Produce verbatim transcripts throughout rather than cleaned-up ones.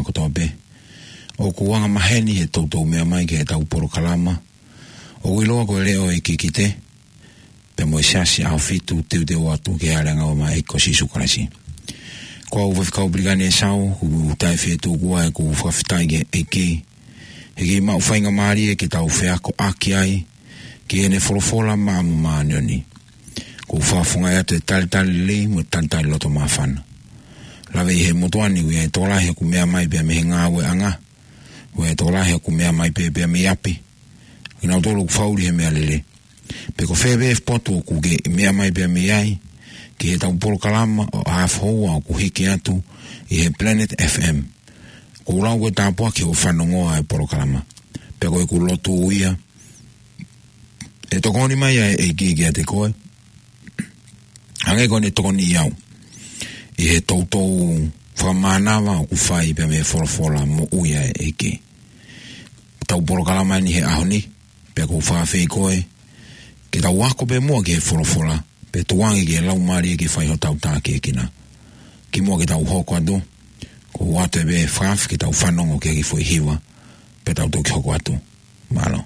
kotoa pē ʻoku anga maheni he toutou meʻa mai ki heʻetau polokalama ʻoku ʻiloa ko e Leʻo ʻo e Kikite, pea mo e Siasi ʻAhofitu, teuteu atu ki he ʻAliʻanga ʻo e ʻEiki ko Sīsū Kalaisi. Ko au Faifekau Pilikani ʻEsau, ʻoku ou taʻefietuku ʻa ʻeku fakafetaʻi ki he ʻEiki he kiʻi maʻu faingamālie ke tau feakoʻaki ai ki heʻene folofola maʻa mo māʻoniʻoni. ʻOku ou fakafofongaʻi atu e talitali lelei mo e talitali loto māfana. Lave ʻi he motuʻa ni, ʻoku ʻi ai e tokolahi ʻoku meʻa mai pē mei he ngāueʻanga, ʻoku ʻi ai e tokolahi ʻoku meʻa mai pē, pē mei ʻapi. Kinautolu ʻoku fāʻuli he meʻalele. Pe ko fē pē potu ʻoku ke meʻa mai pē mei ai, ki heʻetau polokalama ʻo e haafe houa ʻoku hiki atu ʻi he Planet F M. ʻOku ou lau ko e tāpuaki hoʻo fanongo ʻa e polokalama. Pea ko ʻeku lotu ia, ʻe tokoni mai ʻa e ʻEiki kiate koe, hangē ko ʻene tokoniʻi au ʻi he toutou fakamānava ʻoku fai pea mei he folofola moʻui ʻa e ʻEiki. Tau polokalama ni he ʻaho ni, pea ʻoku ou fakaafeʻi koe ke tau ako pē muʻa ki he folofola, pea tuku ange ki he Laumālie ke fai hotau tākiekina. Kimuʻa ke tau hoko atu, ʻoku ou ʻoatu pē e fakaafeʻi ke tau fanongo ki he kiʻi foʻi hiva, pea tau toki hoko atu. Mālō.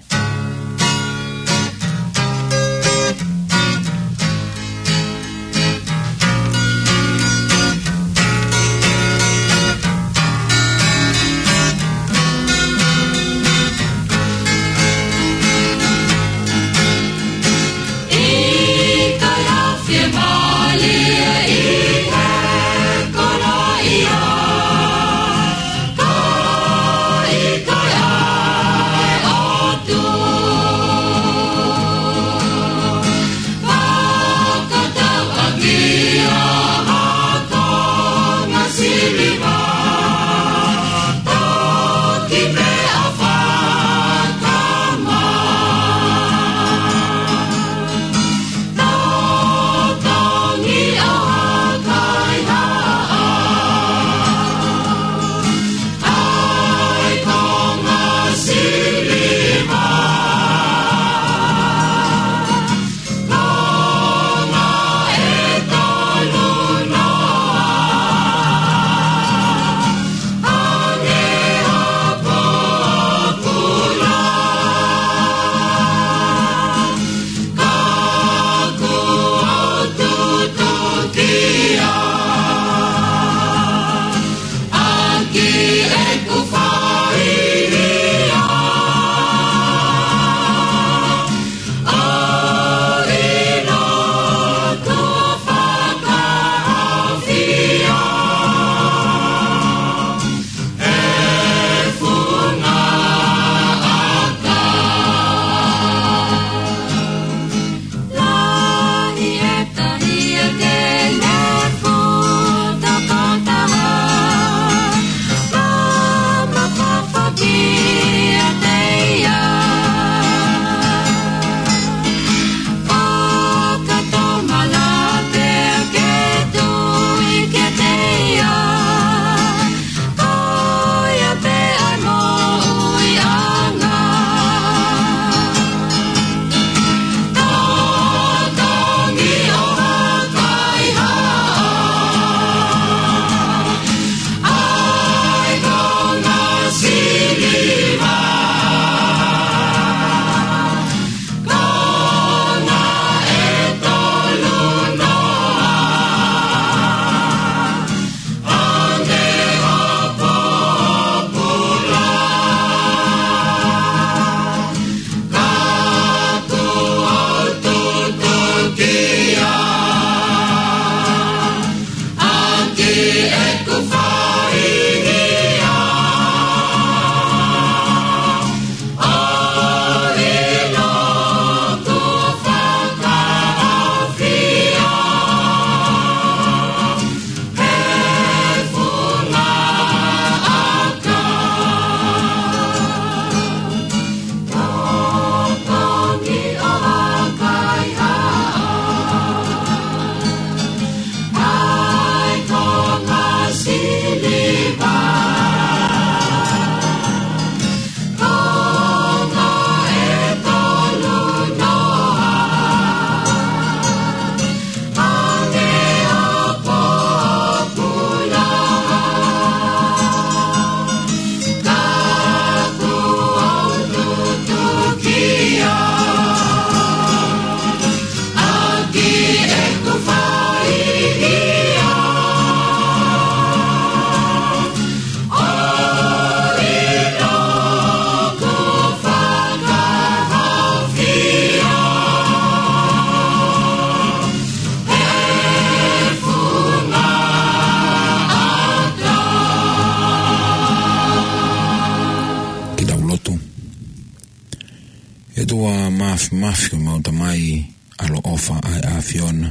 ʻOtua Māfimafi, ko ʻemau Tamai ʻaloʻofa ʻa e ʻAfiona,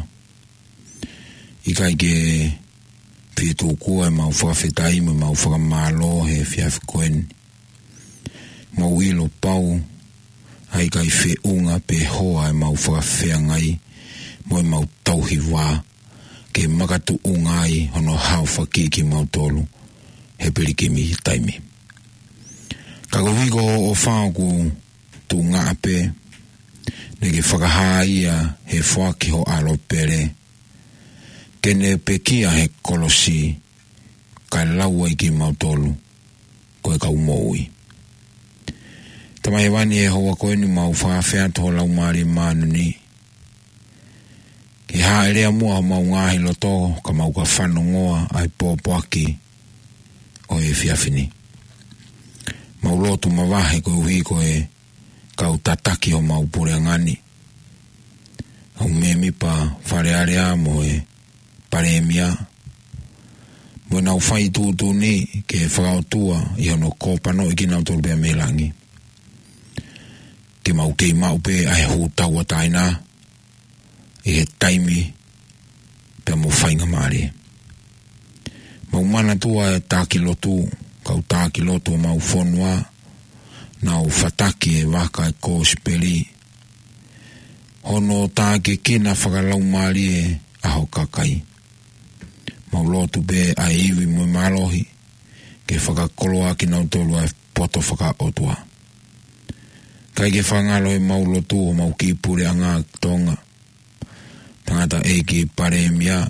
ʻikai ke fie tuku ʻemau fakafetaʻi mo ʻemau fakamālō he efiafi ko eni. Mau ʻilo pau ʻa e ʻikai feʻunga pe hoa ʻemau fakafeangai mo ʻemau tauhi vā ke makatuʻunga ai hono haofaki kimautolu he pilikimi taimi. Ka koeʻuhi ko hoʻo ʻofa ʻoku tuʻunga pē, naʻa ke fakahā ia he foaki ho ʻAlo pele ke ne pekia he kolosi, kae lau ai kimautolu ko e kau moʻui. Tamai Hēvani, he houa ko eni mau fakafeʻao atu ho Laumālie Māʻoniʻoni ke hāʻele muʻa homau ngaahi loto ka mau ka fanongoa ʻa e pōpoaki ʻo e efiafi ni. Mau lotu mavahe koeʻuhi ko e kau tataki homau puleʻanga ni, ʻa e mēmipa Fale Alea mo e Palēmia, mo ʻenau fai tuʻutuʻuni ke fakaʻotua ʻi hono kōpanoʻi kinautolu pea mei langi. Ke mau kei maʻu pē ʻa e hū tauʻatāina ʻi he taimi pea mo faingamālie. Mau manatua e taki lotu, kau taki lotu ʻo mau fonua, nau fataki e vaka e kosipeli, hono tākiekina fakalaumālie ʻa ho kakai. Mau lotu pē ʻa e ivi mo e mālohi ke fakakoloa kinautolu ʻa e poto fakaʻotua. ʻIkai ke fakangalo ʻemau lotu ʻo mau kiʻi puleʻanga Tonga, tangataʻeiki Palēmia,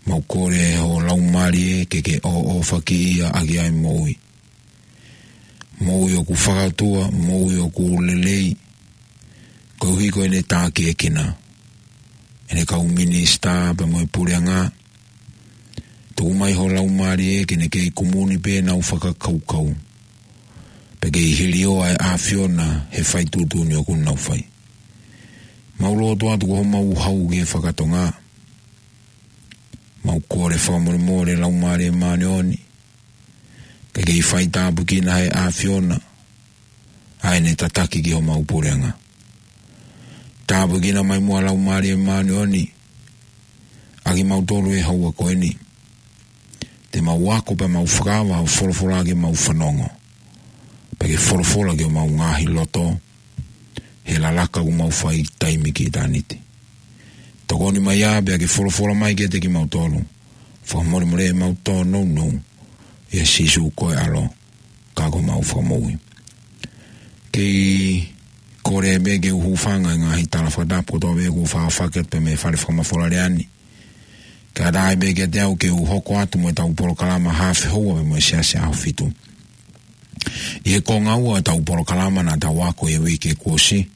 mau kole ho Laumālie ke ke ʻoʻofaki ia ʻaki ʻa e moʻui. Moʻui ʻoku fakaʻotua, moʻui ʻoku lelei, koeʻuhi ko ʻene tākiekina ʻene kau minisitā pea mo e puleʻanga. Tuku mai ho Laumālie ke ne kei kumuni pē ʻenau fakakaukau, pea kei hilio ʻa e ʻAfiona he fai tuʻutuʻuni ʻoku nau fai. Mau lotu atu ko homau hau ki he fakatonga, mau kole fakamolemole Laumālie Māʻoniʻoni, ke kei fai tāpuekina he ʻAfiona ʻa ʻene tataki ki homau puleʻanga. Tāpuekina mai muʻa Laumālie Māʻoniʻoni ʻa kimautolu he houa ko eni. Te mau ako pea mau fakaava ho folofola ke mau fanongo, pea ke folofola ki homau ngaahi loto he lalaka ʻoku mau fai taimi ki ʻitāniti. Tokoni mai ā pea ke folofola mai kiate kimautolu. Fakamolemole ʻemau tōnounou ʻia Sīsū ko e ʻAlo ka ko homau Fakamoʻui. Kei kole pē ke u hūfanga he ngaahi tala fakatapu kotoa pē ʻoku fakafeʻao atu pē mei he fale fakamafola lea ni, kae ʻatā pē kiate au ke u hoko atu mo ʻetau polokalama haafe houa pea mo e Siasi ʻAho Fitu. ʻI he konga ua ʻetau polokalama naʻa tau ako ʻi he uike kuo ʻosi,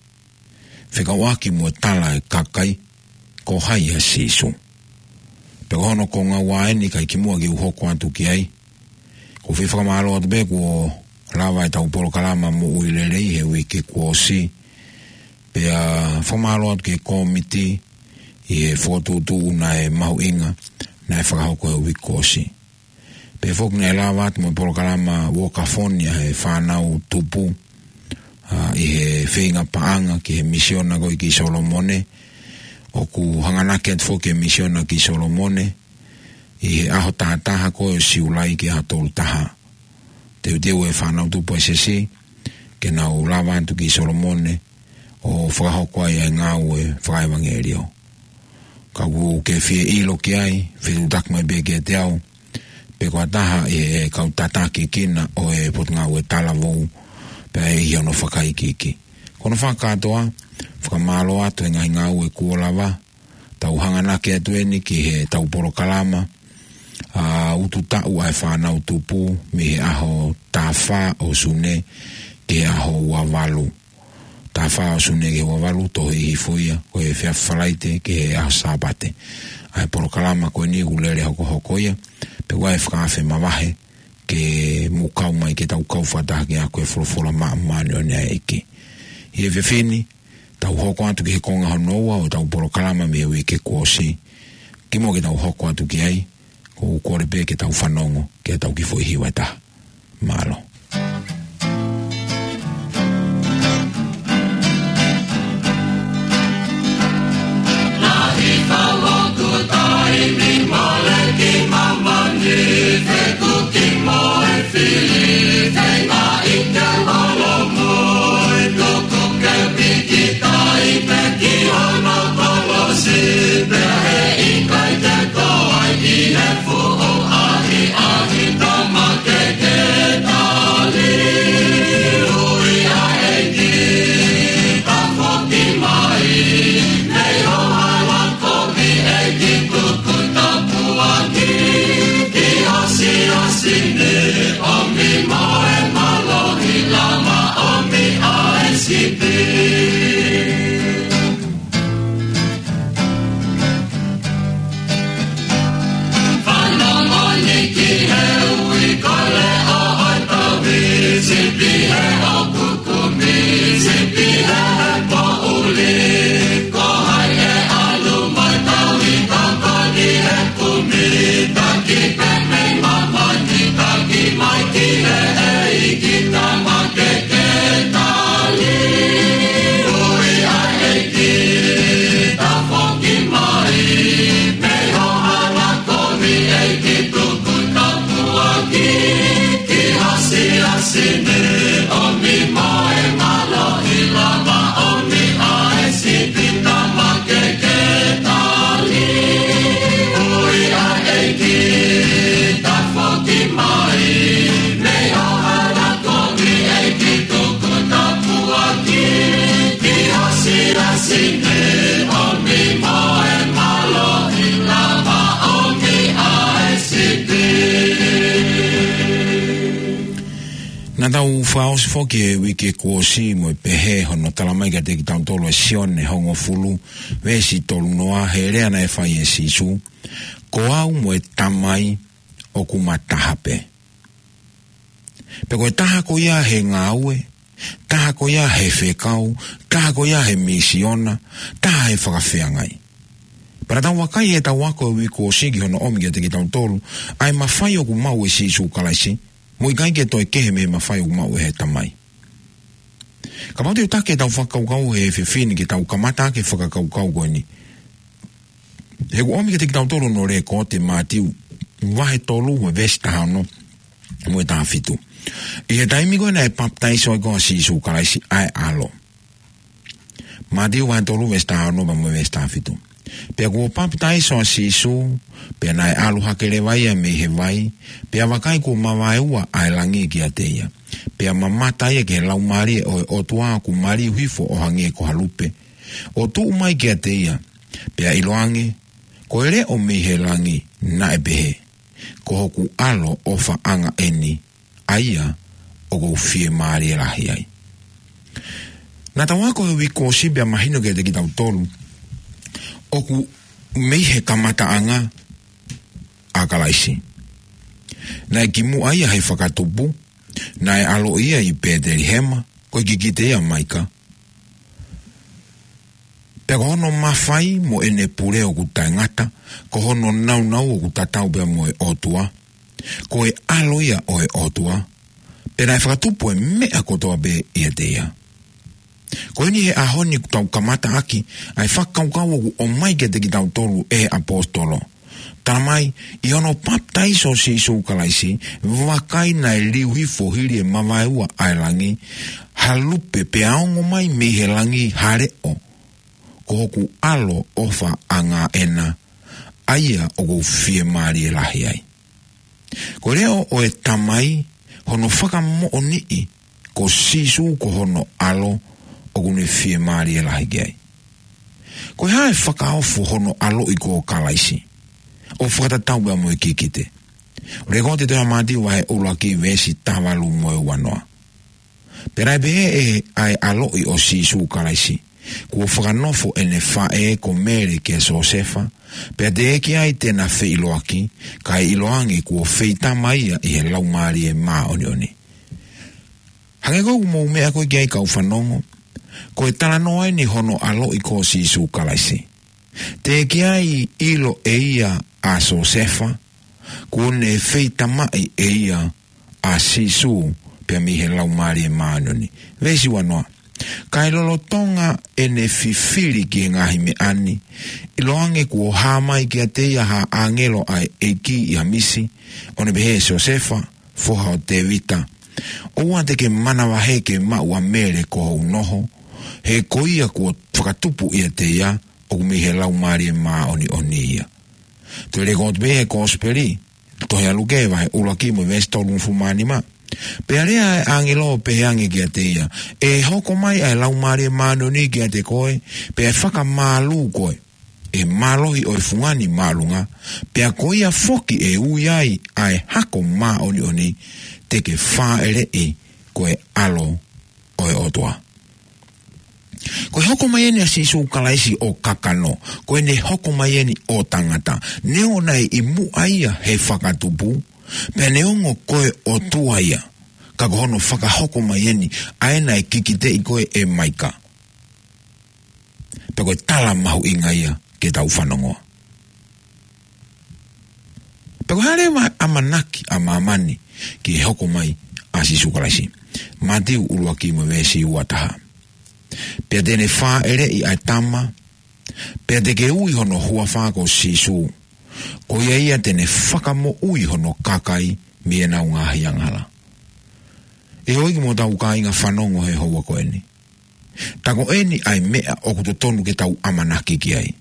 fekauʻaki mo e tala ʻa e kakai, ko hai ʻa Sīsū. Pea ko hono konga ua eni, kae kimuʻa ke u hoko atu ki ai, ʻoku ou fie fakamālō atu pē kuo lava ʻetau polokalama Moʻui Lelei he uike kuo ʻosi. Pea fakamālō atu ki he kōmiti ʻi he fokotuʻutuʻu naʻe mahuʻinga naʻe fakahoko he uike kuo ʻosi. Pea foki naʻe lava atu mo e polokalama Uokafoni ʻa e Fānau Tupu, ʻa, ʻi he feinga paʻanga ki he misiona ko ē ki Solomone. ʻOku hanganaki atu foki e misiona ki Solomone ʻi he ʻaho taha taha ko ē ʻo Siulai ki he ʻaho tolu taha. Teuteu e fānau tupu ʻa e siasi ke nau lava atu ki Solomone ʻo fakahoko ai ʻa e ngāue fakaʻevangeliō. Ka ʻoku ke fie ʻilo ki ai, fetuʻutaki mai pē kiate au, pe ko ha taha ʻi he kau tākiekina ʻo e Potungāue Talavou, pea ʻi hono fakaikiiki. Ko hono fakakātoa, fakamālō atu he ngaahi ngāue kuo lava, tau hanganaki atu eni ki heʻetau polokalama, ʻa, utu taʻu ʻa e fānau tupu mei he ʻaho taha fā ʻo Sune ki he ʻaho ua valu. Taha fā ʻo Sune ki he ua valu, tohi hifo ia, ko e efiafi Falaite ki he ʻaho Sāpate. ʻA e polokalama ko eni ʻoku lele hokohoko ia, pea ʻoku ʻi ai e fakaafe mavahe ke mou kau mai ke tau kau fakataha ke ako e folofola māʻoniʻoni ʻa e ʻEiki. ʻI he efiafi ni, tau hoko atu ki he konga hono ua ʻo ʻetau polokalama mei he uike kuo ʻosi. Kimuʻa ke tau hoko atu ki ai, ʻoku ou kole pē ke tau fanongo ki heʻetau kiʻi foʻi hiva ʻe taha. Mālō. Sini ʻomi mo e mālohi, lava ʻomi ʻa e sipi, tama ke ke tali. Ui ʻa e ʻEiki, tafoki mai, mei ho hana kovi ʻEiki, tuku tapuaki ki ho siasi. Sini ʻomi mo e mālohi, lava ʻomi ʻa e sipi. Naʻa tau fakaʻosi foki he uike kuo ʻosi mo e pehē hono talamai kiate kitautolu ʻe Sione hongofulu, veesi tolu noa, he lea naʻe fai ʻe Sīsū: Ko au mo e Tamai ʻoku ma taha pē. Pea ko e taha ko ia he ngāue, taha ko ia he fekau, taha ko ia he misiona, taha he fakafeangai. Pea naʻa tau vakai heʻetau ako he uike kuo ʻosi ki hono ʻomi kiate kitautolu ʻa e mafai ʻoku maʻu ʻe Sīsū Kalaisi, mo ʻikai ke toe kehe mei he mafai ʻoku maʻu ʻe he Tamai. Kapau te u taki ʻetau fakakaukau he efiafi ni, ke tau kamata ʻaki e fakakaukau ko eni. He kuo ʻomi kiate kitautolu hono lekooti ʻe Mātiu vahe tolu mo e veesi taha ono mo e taha fitu. ʻI he taimi ko ē naʻe papitaiso ai ko ē ʻa Sīsū Kalaisi ʻa e ʻAlo. Mātiu vahe tolu veesi taha ono pea mo e veesi taha fitu. Pea kuo papitaiso ʻa Sīsū, pea naʻe ʻalu hake leva ia mei he vai, pea vakai, kuo mavaeua ʻa e langi kiate ia. Pea mamata ia ki he Laumālie ʻo e ʻOtua ʻoku maliu hifo ʻo hangē ko ha lupe, ʻo tuʻu mai kiate ia. Pea ʻiloange, ko e leʻo mei he langi, naʻe pehē: Ko hoku ʻAlo ʻofaʻanga ʻeni, ʻa ia ʻoku ou fiemālie lahi ai. Naʻa tau ako he uike kuo ʻosi pea mahino kiate kitautolu ʻoku mei he kamataʻanga ʻa Kalaisi. Naʻe kimuʻa ia he fakatupu, naʻe ʻaloʻi ia ʻi Pētelihema, ko e kikite ia ʻa Maika. Pea ko hono mafai mo ʻene pule ʻoku taʻengata, ko hono nāunau ʻoku tatau pea mo e ʻOtua, ko e ʻAlo ia ʻo e ʻOtua, pea naʻe fakatupu e meʻa kotoa pē ʻiate ia. Ko eni he ʻaho ni ʻoku tau kamata ʻaki ʻa e fakakaukau ʻoku ʻomai kiate kitautolu ʻe he ʻaposetolo. Talamai, ʻi hono papitaiso ʻo Sīsū Kalaisi, vakai, naʻe liu hifo hili e mavaeua ʻa e langi ha lupe, pea ongo mai mei he langi ha leʻo: Ko hoku ʻAlo ʻofaʻanga ʻena, ʻa ia ʻoku ou fiemālie lahi ai. Ko e leʻo ʻo e Tamai, hono fakamoʻoniʻi ko Sīsū ko hono ʻAlo ʻoku ne fiemālie lahi ki ai. Ko e hā e fakaofo hono ʻaloʻi ko Kalaisi, ʻo fakatatau pea mo e kikite? Lekooti ʻe Mātiu vahe ʻuluaki veesi taha valu mo e ua noa. Pea naʻe pehē ʻe ʻa e ʻaloʻi ʻo Sīsū Kalaisi, kuo fakanofo ʻene faʻē ko Mele kia Siosefa, pea teʻeki ai te na feʻiloaki, kae ʻiloange kuo feitama ia ʻi he Laumālie Māʻoniʻoni. Hangē ko ʻeku mou meʻa ko ē ki ai, kau fanongo, ko e talanoa eni hono ʻaloʻi ko Sīsū Kalaisi. Teʻeki ai ʻilo ʻe ia ʻa Siosefa, kuo ne feitamaʻi ʻe ia ʻa Sīsū pea mei he Laumālie Māʻoniʻoni. Veesi ua noa. Kae lolotonga ʻene fifili ki he ngaahi meʻa ni, ʻiloange kuo hā mai kiate ia ha ʻāngelo ʻa e ʻEiki ʻi ha misi, ʻo ne pehē: Siosefa, foha ʻo Tēvita, ʻoua te ke manavahē ke maʻu ʻa Mele ko hoʻo noho, he ko ia kuo fakatupu ʻiate ia ʻoku mei he Laumālie Māʻoniʻoni ia. Toe lekooti pē he Kosipeli, tohi ʻa Luke vahe ʻuluaki mo e veesi tolungofulu mā nima. Pea lea ʻa e ʻāngelo ʻo pehē ange kiate ia: ʻE hoko mai ʻa e Laumālie Māʻoniʻoni kiate koe, pea ʻe fakamālū koe ʻe he mālohi ʻo e Fungani Māʻolunga, pea ko ia foki ʻe ui ai ʻa e Hako Māʻoniʻoni, te ke fāʻeleʻi ko e ʻAlo ʻo e ʻOtua. Ko e hoko mai eni ʻa Sīsū Kalaisi ʻo kakano, ko ʻene hoko mai eni ʻo tangata. Neongo naʻe ʻi muʻa ia he fakatupu, pea neongo ko e ʻOtua ia, ka ko hono fakahoko mai eni ʻa ē naʻe kikiteʻi ko ē ʻe Maika. Pea ko e tala mahuʻinga ia ke tau fanongoa. Pea ko e hā leva e ʻamanaki ʻa māmani ki he hoko mai ʻa Sīsū Kalaisi? Mātiu ʻuluaki mo e veesi ua taha. Pea te ne fāʻeleʻi ʻa e Tama, pea te ke ui hono huafa ko Sīsū. Ko ia ia te ne fakamoʻui hono kakai mei heʻenau ngaahi angahala. ʻE houʻeiki mo hotau kāinga fanongo he houa ko eni. Tā ko eni ʻa e meʻa ʻoku totonu ke tau ʻamanaki ki ai.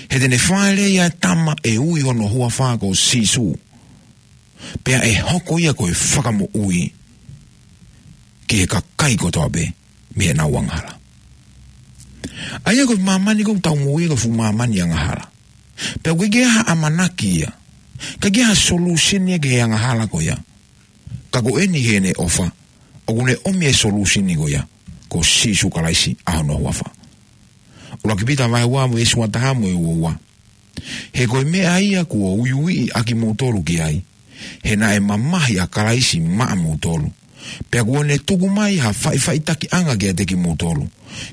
He te ne fāʻeleʻi ʻa e tama ʻe ui hono huafa ko Sīsū. Pea ʻe hoko ia ko e fakamoʻui ki he kakai kotoa pē mei heʻenau angahala. ʻA ia ko e māmani ʻoku tau moʻui ko e fuʻu māmani angahala. Pea ʻoku ʻikai ke ʻi ai ha ʻamanaki ia. ʻIkai ke ʻi ai ha solution ia ki he angahala ko ia. Ka ko eni heʻene ʻofa, ʻoku ne ʻomi e solution ko ia, ko Sīsū Kalaisi ʻa hono huafa. ʻUluaki Pita vahe ua mo e veesi ua taha mo e ua ua. He ko e meʻa ia kuo uiuiʻi ʻa kimoutolu ki ai, he naʻe mamahi ʻa Kalaisi maʻamoutolu. Pea kuo ne tuku mai ha faʻifaʻitakiʻanga kiate kimoutolu,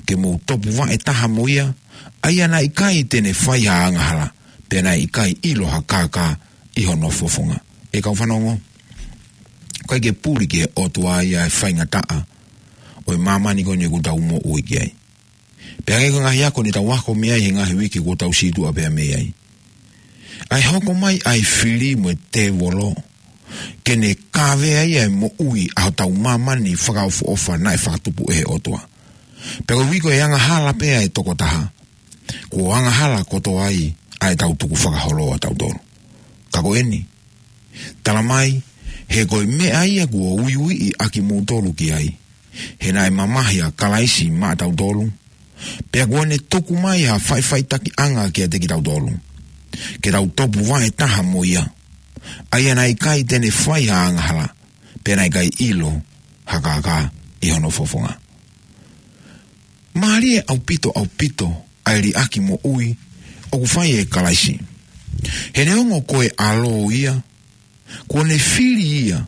ke mou topuvaʻe taha mo ia, ʻa ia naʻe ʻikai te ne fai ha angahala, pea naʻe ʻikai ʻilo ha kākā ʻi hono fofonga. ʻE kau fanongo, ʻoku ʻikai ke puli ki he ʻOtua ia e faingataʻa ʻo e māmani ko eni ʻoku tau moʻui ki ai. Pea hangē ko e ngaahi ako ne tau ako mei ai he ngaahi uike kuo tau situʻa pea mei ai. ʻA e hoko mai ʻa e fili mo e tēvolo, ke ne kavea ia e moʻui ʻa hotau māmani fakaʻofoʻofa naʻe fakatupu ʻe he ʻOtua. Pea koeʻuhi ko e angahala pē ʻa e tokotaha, kuo angahala kotoa ai ʻa ʻetau tukufakaholo ʻatautolu. Ka ko eni, tala mai, he ko e meʻa ia kuo uiuiʻi ʻa kimoutolu ki ai, he naʻe mamahi ʻa Kalaisi maʻatautolu, pea kuo ne tuku mai ha faʻifaʻitakiʻanga kiate kitautolu, ke tau topuvaʻe taha mo ia, ʻa ia naʻe ʻikai te ne fai ha angahala, pea naʻe ʻikai ʻilo ha kākā ʻi hono fofonga. Mālie ʻaupito, ʻaupito ʻa e liʻaki moʻui ʻoku fai ʻe Kalaisi. He neongo ko e ʻAlo ia, kuo ne fili ia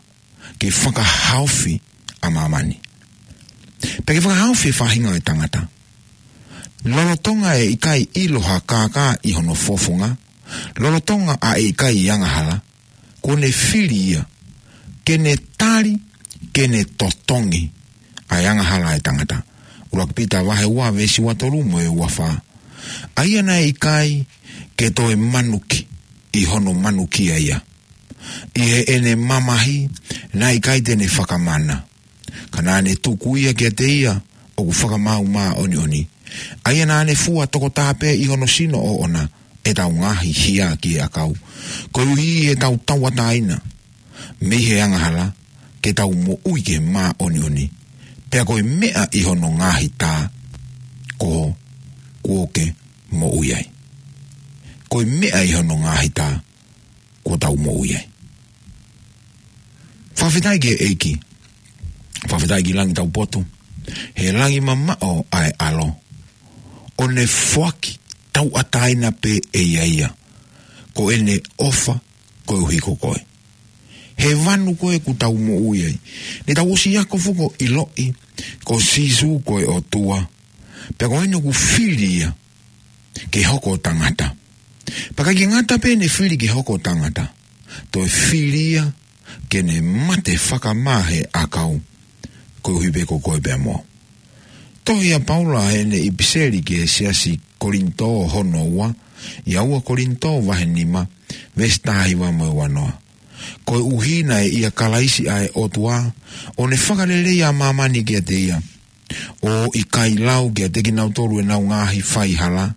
ke fakahaofi ʻa māmani. Pea ke fakahaofi e faʻahinga ʻo e tangata. Lolotonga ʻe ʻikai ʻilo ha kākā ʻi hono fofonga, lolotonga ʻa e ʻikai angahala, kuo ne fili ia, ke ne tali, ke ne totongi ʻa e angahala ʻa e tangata. ʻUluaki Pita vahe ua veesi ua tolu mo e ua fā. ʻA ia naʻe ʻikai ke toe manuki ʻi hono manukia ia. ʻI heʻene mamahi, naʻe ʻikai te ne fakamana. Ka naʻa ne tuku ia kiate ia ʻoku fakamaau māʻoniʻoni. ʻA ia naʻa ne fua tokotaha pē ʻi hono sino ʻoʻona ʻetau ngaahi hia ki he ʻakau. Koeʻuhi ʻi heʻetau tauʻatāina mei he angahala, ke tau moʻui ki he māʻoniʻoni. Pea ko e meʻa ʻi hono ngaahi tā, ko, kuo ke moʻui ai. Ko e meʻa ʻi hono ngaahi tā, kuo tau moʻui ai. Fakafetaʻi ki he ʻEiki. Fakafetaʻi ki Langi Taupotu. He langi mamaʻo ʻa e ʻAlo. ʻO ne foaki tauʻatāina pē ʻe ia ia. Ko ʻene ʻofa koeʻuhi ko koe. He vanu ko ē ʻoku tau moʻui ai. Ne tau ʻosi ako fuko ʻiloʻi, ko Sīsū ko e ʻOtua. Pea ko eni ʻoku fili ia ke hoko ʻo tangata. Pea ʻikai ke ngata pē ʻene fili ke hoko ʻo tangata, toe fili ia ke ne mate fakamā he ʻakau, koeʻuhi pē ko koe pea mo au. Tohi ʻa Paula heʻene ʻipiseli ki he siasi Kolinitō hono ua, ʻi he ua Kolinitō vahe nima, veesi taha hiva mo e ua noa. Koeʻuhi naʻe ʻia Kalaisi ʻa e ʻOtua, ʻo ne fakalelei ʻa māmani kiate ia, ʻo ʻikai lau kiate kinautolu ʻenau ngaahi faihala,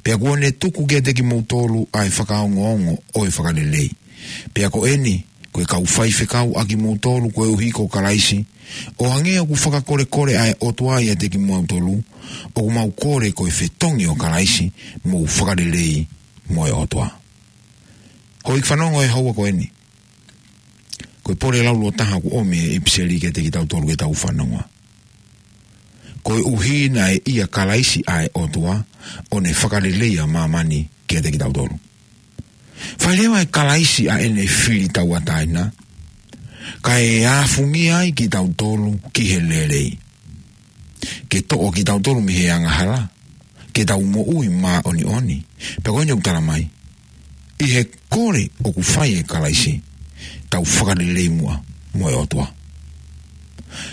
pea kuo ne tuku kiate kimoutolu ʻa e fakaongoongo ʻo e fakalelei. Pea ko eni, ko e kau faifekau ʻa kimoutolu koeʻuhi ko Kalaisi, ʻo hangē ʻoku fakakolekole ʻa e ʻOtua ʻiate kimoutolu, ʻoku mau kole ko e fetongi ʻo Kalaisi, mou fakalelei mo e ʻOtua. Houʻeiki fanongo he houa ko eni. Ko e pole laulōtaha ʻoku ʻomi ʻe he ʻipiseli kiate kitautolu ke tau fanongoa. Koeʻuhi naʻe ʻia Kalaisi ʻa e ʻOtua, ʻo ne fakalelei ʻa māmani kiate kitautolu. Fai leva ʻe Kalaisi ʻa ʻene fili tauʻatāina, kae āfungia ai kitautolu ki he lelei. Ke toʻo kitautolu mei he angahala, ke tau moʻui māʻoniʻoni. Pea ko eni ʻoku tala mai, ʻi he kole ʻoku fai ʻe Kalaisi, tau fakalelei muʻa mo e ʻOtua.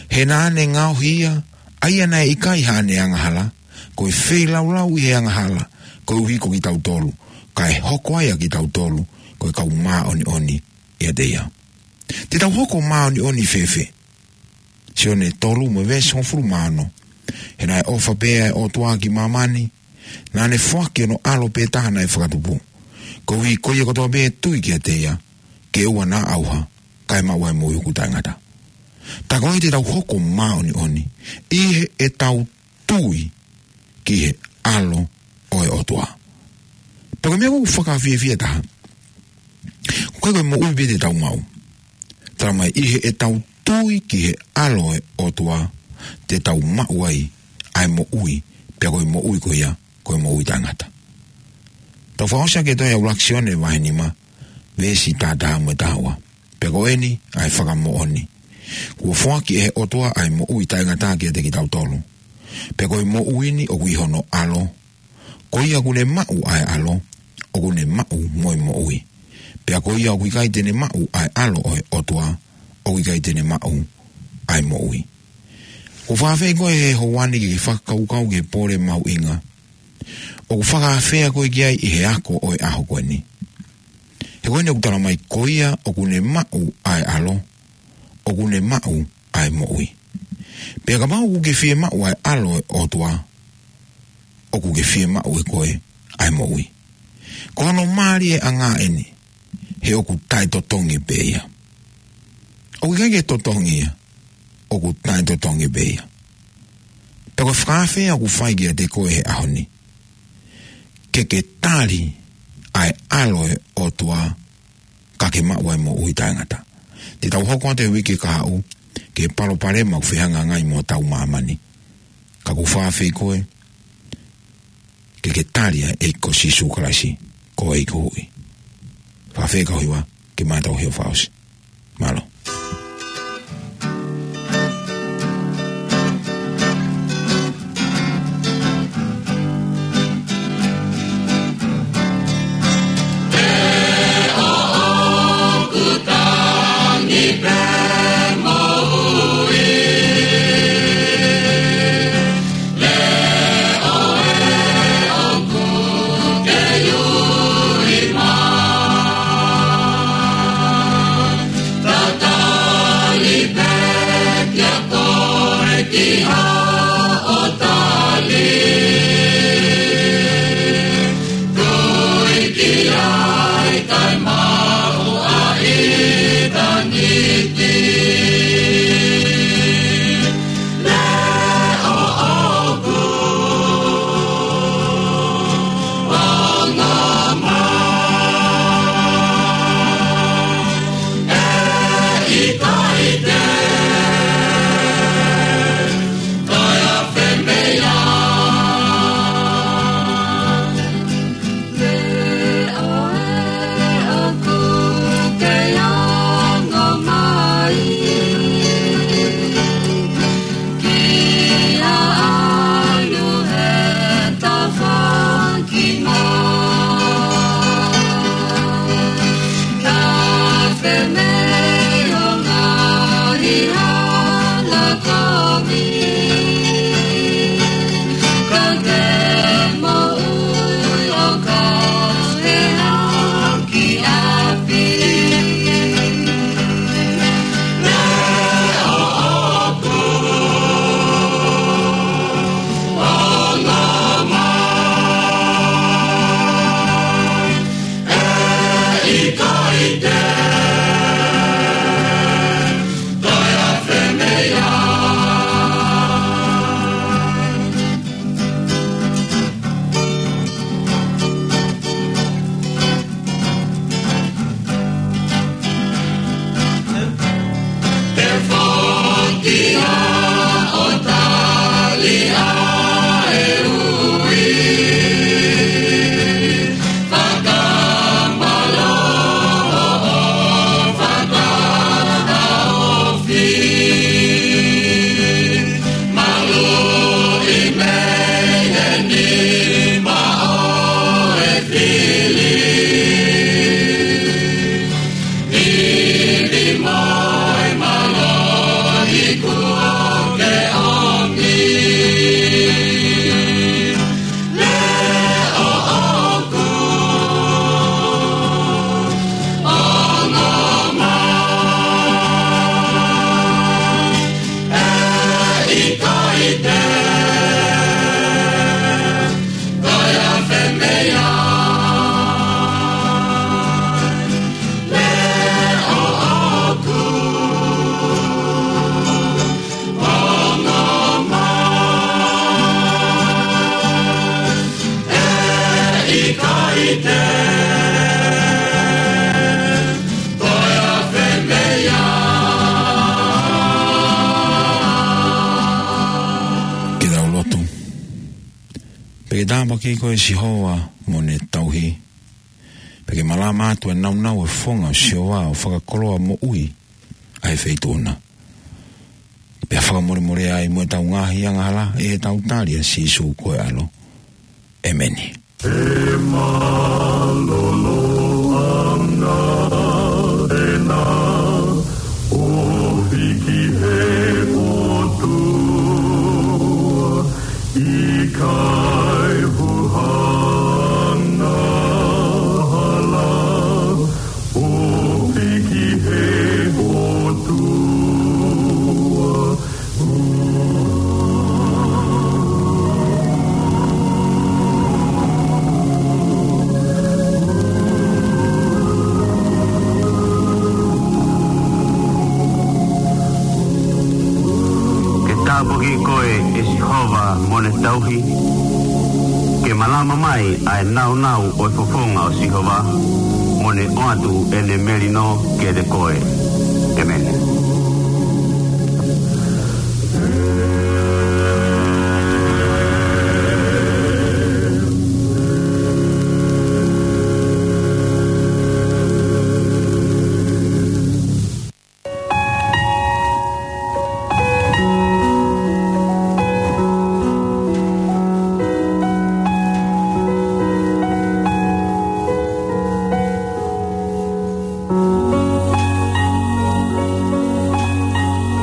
He naʻa ne ngaohi ia, ʻa ia naʻe ʻikai haʻane angahala, ko e feilaulau ʻi he angahala, koeʻuhi ko kitautolu, kae hoko ai ʻa kitautolu ko e kau māʻoniʻoni ʻiate ia. Te tau hoko māʻoniʻoni fēfē? Sione tolu mo e veesi hongofulu mā ono. He naʻe ʻofa pē ʻa e ʻOtua ki māmani, naʻa ne foaki hono ʻAlo pē taha naʻe fakatupu, koeʻuhi ko ia kotoa pē ʻe tui kiate ia, ke ʻoua naʻa ʻauha, kae maʻu ʻa e moʻui ʻoku taʻengata. Tā ko ē te tau hoko māʻoniʻoni ʻi heʻetau tui ki he ʻAlo ʻo e ʻOtua. Pea ko e meʻa ʻoku fakafiefia taha, ʻoku ʻikai ko e moʻui pē te tau maʻu. Talamai ʻi heʻetau tui ki he ʻAlo ʻo e ʻOtua, te tau maʻu ai ʻa e moʻui, pea ko e moʻui ko ia, ko e moʻui taʻengata. Tau fakaʻosi ʻaki e tohi ʻa ʻUluaki Sione vahe nima, veesi taha taha mo e taha ua. Pea ko eni ʻa e fakamoʻoni, kuo foaki ʻe he ʻOtua ʻa e moʻui taʻengata kiate kitautolu. Pea ko e moʻui ni ʻoku ʻi hono ʻAlo. Ko ia ʻoku ne maʻu ʻa e ʻAlo, ʻoku ne maʻu mo e moʻui. Pea ko ia ʻoku ʻikai te ne maʻu ʻa e ʻAlo ʻo e ʻOtua, ʻoku ʻikai te ne maʻu ʻa e moʻui. ʻOku fakaafeʻi koe he houa ni ke ke fakakaukau ki he pole mahuʻinga ʻoku fakaafeʻi koe ki ai ʻi he ako ʻo e ʻaho ko eni. He ko eni ʻoku talamai ko ia ʻoku ne maʻu ʻa e ʻAlo, ʻoku ne maʻu ʻa e moʻui. Pea kapau ʻoku ke fiemaʻu ʻa e ʻAlo ʻo e ʻOtua, ʻoku ke fiemaʻu ʻe koe ʻa e moʻui. Ko hono mālie ʻanga eni, he ʻoku taʻetotongi pē ia. ʻOku ʻikai ke totongi ia, ʻoku taʻetotongi pē ia. Pea ko e fakaafeʻi ʻoku fai kiate koe he ʻaho ni, ke ke tali ʻa e ʻAlo ʻo e ʻOtua, ka ke maʻu ʻa e moʻui taʻengata. Te tau hoko atu he uike kahaʻu ki he palopalema ʻoku fehangahangai mo hotau māmani. Ka ʻoku fakaafeʻi koe, ke ke tali ʻa e ʻEiki ko Sīsū Kalaisi, ko e ʻEiki ko e Huhuʻi. Fakaafeʻi kau hiva, ke mātau hio fakaʻosi. Mālō. Pea ke tāpuaki koe ʻe Sihova mo ʻene tauhi. Pea ke malama atu ʻa e nāunau ʻo e fofonga ʻo Sihova ʻo fakakoloa moʻui ʻa e feituʻu na. Pea fakamolemoleʻi ai mo ʻetau ngaahi angahala ʻi heʻetau tali ʻa Sīsū ko e ʻAlo. ʻEmeni. He mālōlō ʻana ʻena ʻo hiki he ʻOtua, ʻikai huhana hala ʻo hiki he ʻOtua. Ke tāpuaki koe ʻe Sihova mo ʻene tauhi. Ke malama mai ʻa e nāunau ʻo e fofonga ʻo Sihova, mo ne ʻoatu ʻene melino kiate koe.